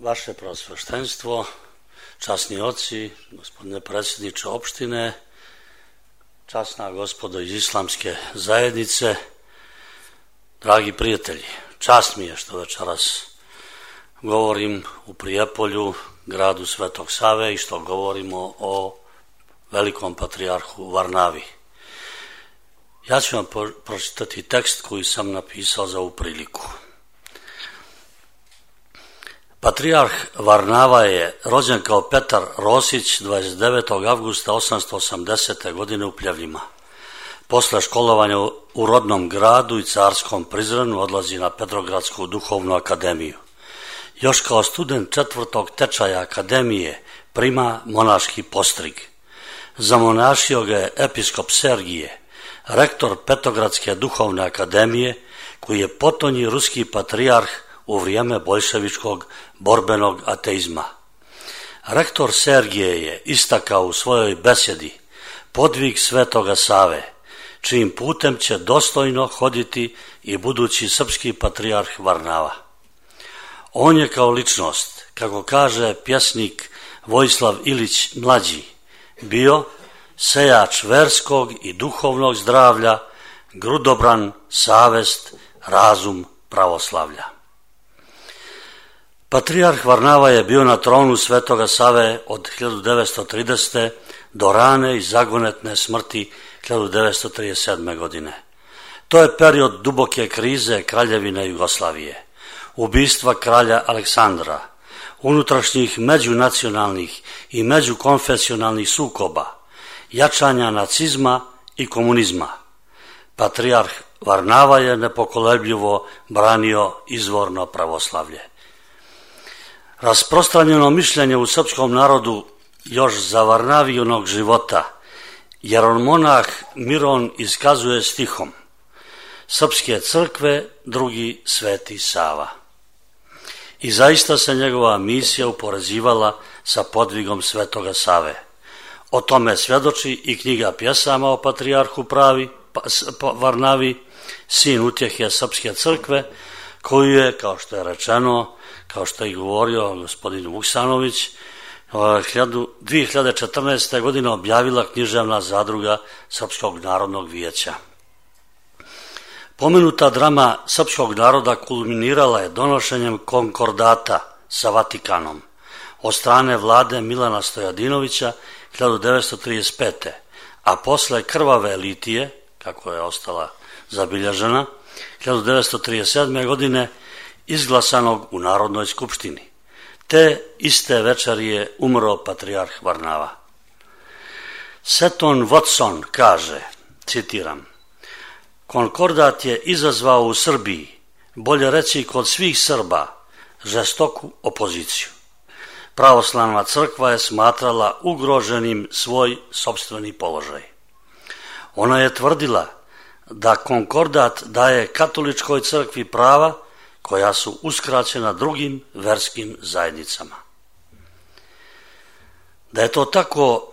Vaše preosveštenstvo, časni oci, gospodine predsjedniče opštine, časna gospodo iz islamske zajednice, dragi prijatelji, čast mi je što večeras govorim u Prijepolju, gradu Svetog Save, i što govorimo o velikom patrijarhu Varnavi. Ja ću vam pročitati tekst koji sam napisao za ovu priliku. Patrijarh Varnava je rođen kao Petar Rosić 29. avgusta 880. godine u Pljevljima. Posle školovanja u rodnom gradu i carskom Prizrenu odlazi na Petrogradsku duhovnu akademiju. Još kao student 4. tečaja akademije prima monaški postrig. Zamonašio ga je episkop Sergije, rektor Petrogradske duhovne akademije, koji je potonji ruski patrijarh u vrijeme boljševičkog borbenog ateizma. Rektor Sergije je istakao u svojoj besjedi podvig Svetoga Save, čijim putem će dostojno hoditi i budući srpski patrijarh Varnava. On je kao ličnost, kako kaže pjesnik Vojislav Ilić mlađi, bio sejač verskog i duhovnog zdravlja, grudobran, savest, razum pravoslavlja. Patrijarh Varnava je bio na tronu Svetoga Save od 1930. do rane i zagonetne smrti 1937. godine. To je period duboke krize Kraljevine Jugoslavije, ubistva kralja Aleksandra, unutrašnjih međunacionalnih i međukonfesionalnih sukoba, jačanja nacizma i komunizma. Patrijarh Varnava je nepokolebljivo branio izvorno pravoslavlje. Rasprostranjeno mišljenje u srpskom narodu još za Varnavijunog života, jer on monah Miron iskazuje stihom: Srpske crkve, drugi Sveti Sava. I zaista se njegova misija uporezivala sa podvigom Svetoga Save. O tome svjedoči i knjiga pjesama o patrijarhu Varnavi, sin utjehe Srpske crkve, koju je, kao što je rečeno, kao što je govorio gospodin Vuksanović, 2014. godine objavila književna zadruga Srpskog narodnog vijeća. Pomenuta drama srpskog naroda kulminirala je donošenjem konkordata sa Vatikanom od strane vlade Milana Stojadinovića 1935. a posle krvave litije, kako je ostala zabilježena, 1937. godine izglasanog u Narodnoj skupštini. Te iste večeri je umro patrijarh Varnava. Seton Watson kaže, citiram: Konkordat je izazvao u Srbiji, bolje reći kod svih Srba, žestoku opoziciju. Pravoslavna crkva je smatrala ugroženim svoj sopstveni položaj. Ona je tvrdila da konkordat daje katoličkoj crkvi prava koja su uskraćena drugim verskim zajednicama. Da je to tako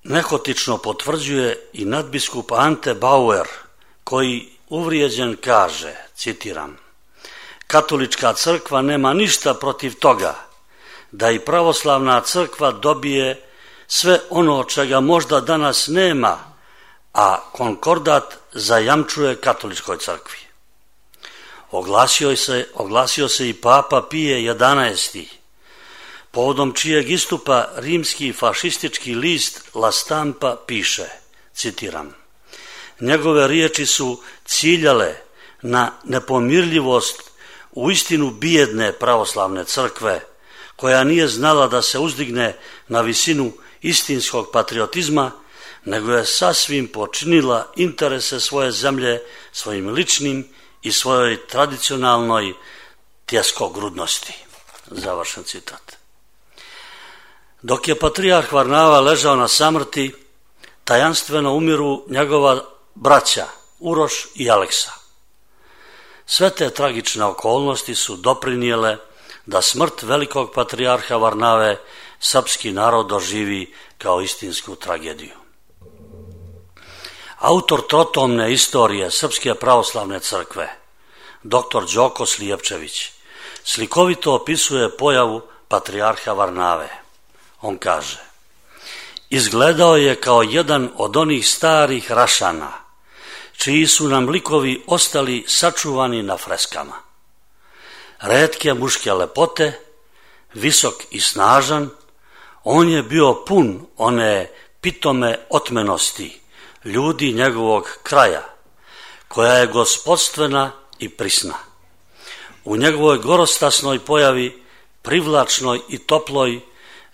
nehotično potvrđuje i nadbiskup Ante Bauer, koji uvrijeđen kaže, citiram: Katolička crkva nema ništa protiv toga da i pravoslavna crkva dobije sve ono čega možda danas nema, a konkordat zajamčuje katoličkoj crkvi. Oglasio se i Papa Pije XI, povodom čijeg istupa rimski fašistički list La Stampa piše, citiram: Njegove riječi su ciljale na nepomirljivost uistinu bijedne pravoslavne crkve, koja nije znala da se uzdigne na visinu istinskog patriotizma, nego je sasvim počinila interese svoje zemlje svojim ličnim i svojoj tradicionalnoj tjeskogrudnosti. Završen citat. Dok je patrijarh Varnava ležao na samrti, tajanstveno umiru njegova braća Uroš i Aleksa. Sve te tragične okolnosti su doprinijele da smrt velikog patrijarha Varnave srpski narod doživi kao istinsku tragediju. Autor trotomne istorije Srpske pravoslavne crkve, dr. Đoko Slijepčević, slikovito opisuje pojavu patrijarha Varnave. On kaže: izgledao je kao jedan od onih starih Rašana, čiji su nam likovi ostali sačuvani na freskama. Retke muške lepote, visok i snažan, on je bio pun one pitome otmenosti ljudi njegovog kraja, koja je gospodstvena i prisna. U njegovoj gorostasnoj pojavi, privlačnoj i toploj,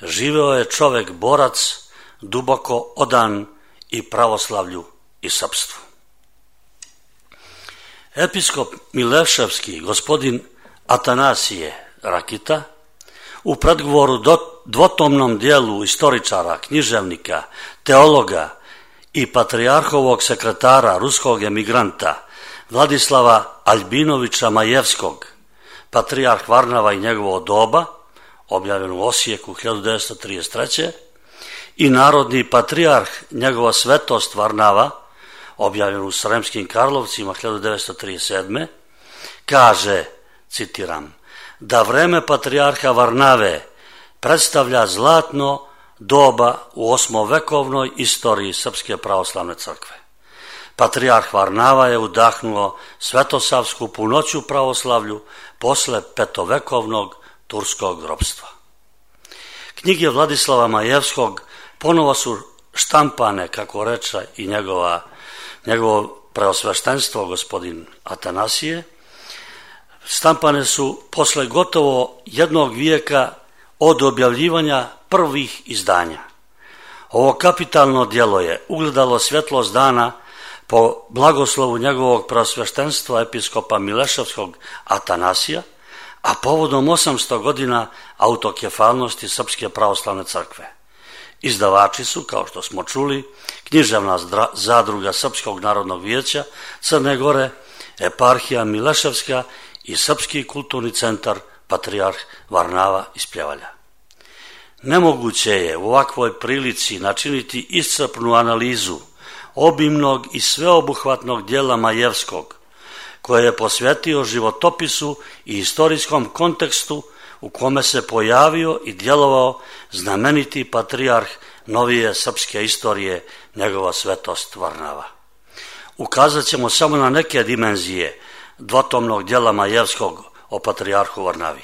živeo je čovek borac, duboko odan i pravoslavlju i srpstvu. Episkop Mileševski, gospodin Atanasije Rakita, u predgovoru dvotomnom dijelu istoričara, književnika, teologa i patrijarhovog sekretara ruskog emigranta Vladislava Albinovića Majevskog, patrijarh Varnava i njegovo doba, objavljen u Osijeku 1933. i narodni patrijarh njegova svetost Varnava, objavljen u Sremskim Karlovcima 1937. kaže, citiram, da vreme patrijarha Varnave predstavlja zlatno doba u osmovekovnoj istoriji Srpske pravoslavne crkve. Patrijarh Varnava je udahnuo svetosavsku punoću pravoslavlju posle petovekovnog turskog ropstva. Knjige Vladislava Majevskog ponovo su štampane, kako reče i njegovo preosveštenstvo gospodin Atanasije. Štampane su posle gotovo jednog vijeka od objavljivanja prvih izdanja. Ovo kapitalno djelo je ugledalo svjetlost dana po blagoslovu njegovog preosveštenstva episkopa Mileševskog Atanasija, a povodom 800 godina autokefalnosti Srpske pravoslavne crkve. Izdavači su, kao što smo čuli, Književna zadruga Srpskog narodnog vijeća Crne Gore, Eparhija Mileševska i Srpski kulturni centar Patrijarh Varnava iz Pljevalja. Nemoguće je u ovakvoj prilici načiniti iscrpnu analizu obimnog i sveobuhvatnog dijela Majevskog, koje je posvetio životopisu i istorijskom kontekstu u kome se pojavio i djelovao znameniti patrijarh novije srpske istorije, njegova svetost Varnava. Ukazat ćemo samo na neke dimenzije dvotomnog djela Majevskog o patrijarhu Varnavi.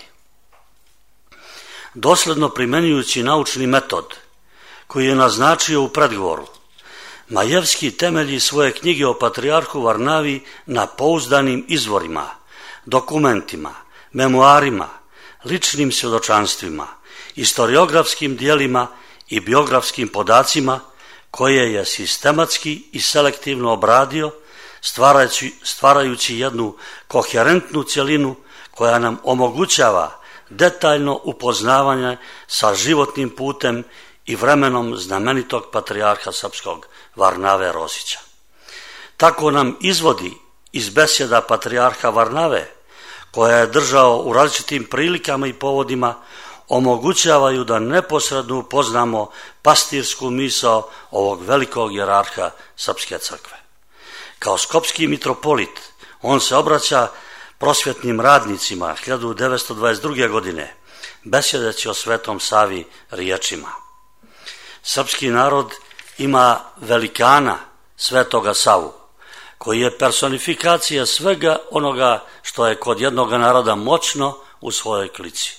Dosledno primenjujući naučni metod koji je naznačio u predgovoru, Majevski temelji svoje knjige o patrijarhu Varnavi na pouzdanim izvorima, dokumentima, memoarima, ličnim svjedočanstvima, historiografskim dijelima i biografskim podacima koje je sistematski i selektivno obradio, stvarajući jednu koherentnu cjelinu koja nam omogućava detaljno upoznavanje sa životnim putem i vremenom znamenitog patrijarha srpskog Varnave Rosića. Tako nam izvodi iz besjeda patrijarha Varnave, koja je držao u različitim prilikama i povodima, omogućavaju da neposredno upoznamo pastirsku misao ovog velikog jerarha Srpske crkve. Kao skopski mitropolit, on se obraća prosvjetnim radnicima 1922. godine, besjedeći o Svetom Savi riječima: srpski narod ima velikana Svetoga Savu, koji je personifikacija svega onoga što je kod jednog naroda moćno u svojoj klici.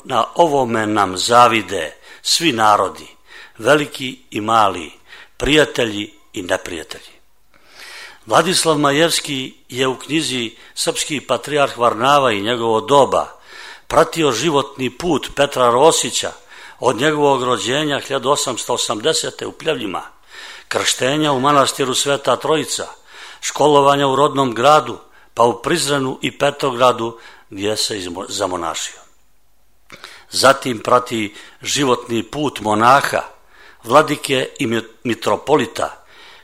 Na ovome nam zavide svi narodi, veliki i mali, prijatelji i neprijatelji. Vladislav Majevski je u knjizi Srpski patrijarh Varnava i njegovo doba pratio životni put Petra Rosića od njegovog rođenja 1880. u Pljevljima, krštenja u manastiru Sveta Trojica, školovanja u rodnom gradu, pa u Prizrenu i Petrogradu gdje se zamonašio. Zatim prati životni put monaha, vladike i mitropolita,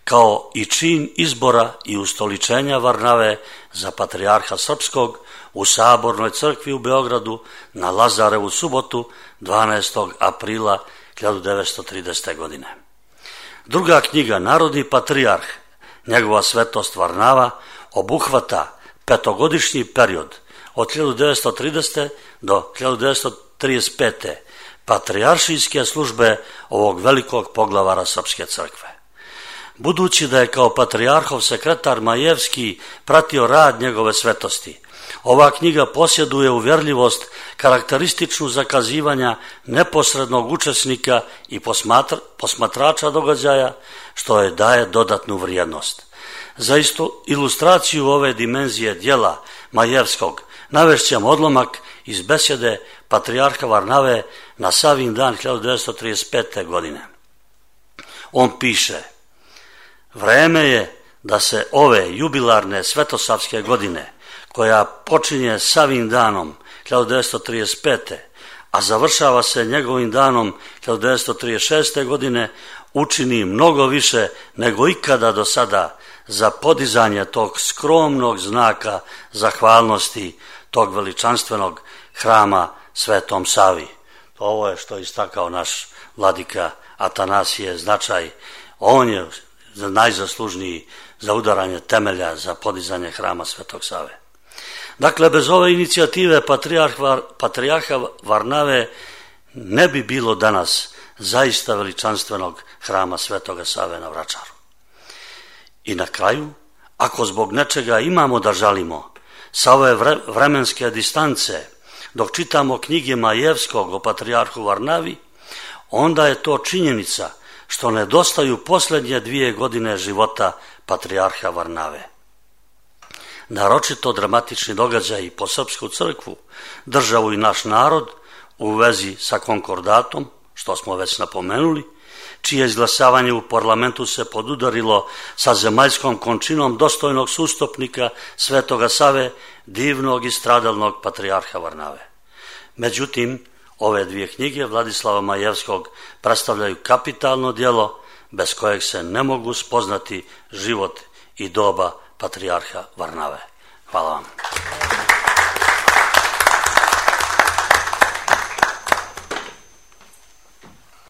kao i čin izbora i ustoličenja Varnave za patrijarha srpskog u Sabornoj crkvi u Beogradu na Lazarevu subotu 12. aprila 1930. godine. Druga knjiga, Narodni patrijarh, njegova svetost Varnava, obuhvata petogodišnji period od 1930. do 1935. patrijaršijske službe ovog velikog poglavara Srpske crkve. Budući da je kao patrijarhov sekretar Majevski pratio rad njegove svetosti, ova knjiga posjeduje uvjerljivost karakterističnu zakazivanja neposrednog učesnika i posmatrača događaja, što je daje dodatnu vrijednost. Za ilustraciju ove dimenzije djela Majevskog navešćem odlomak iz besjede patrijarha Varnave na Savin dan 1935. godine. On piše: vreme je da se ove jubilarne svetosavske godine, koja počinje Savin danom 1935. a završava se njegovim danom 1936. godine, učini mnogo više nego ikada do sada za podizanje tog skromnog znaka zahvalnosti tog veličanstvenog hrama Svetom Savi. Ovo je što je istakao naš vladika Atanasije značaj. On je najzaslužniji za udaranje temelja za podizanje hrama Svetog Save. Dakle, bez ove inicijative patrijarha Varnave ne bi bilo danas zaista veličanstvenog hrama Svetoga Save na Vračaru. I na kraju, ako zbog nečega imamo da žalimo sa ove vremenske distance, dok čitamo knjige Majevskog o patrijarhu Varnavi, onda je to činjenica što nedostaju posljednje 2 godine života patrijarha Varnave. Naročito dramatični događaji po Srpsku crkvu, državu i naš narod u vezi sa konkordatom, što smo već napomenuli, čije izglasavanje u parlamentu se podudarilo sa zemaljskom končinom dostojnog sustupnika Svetoga Save, divnog i stradalnog patrijarha Varnave. Međutim, ove 2 knjige Vladislava Majevskog predstavljaju kapitalno djelo bez kojeg se ne mogu spoznati život i doba patrijarha Varnave. Hvala vam.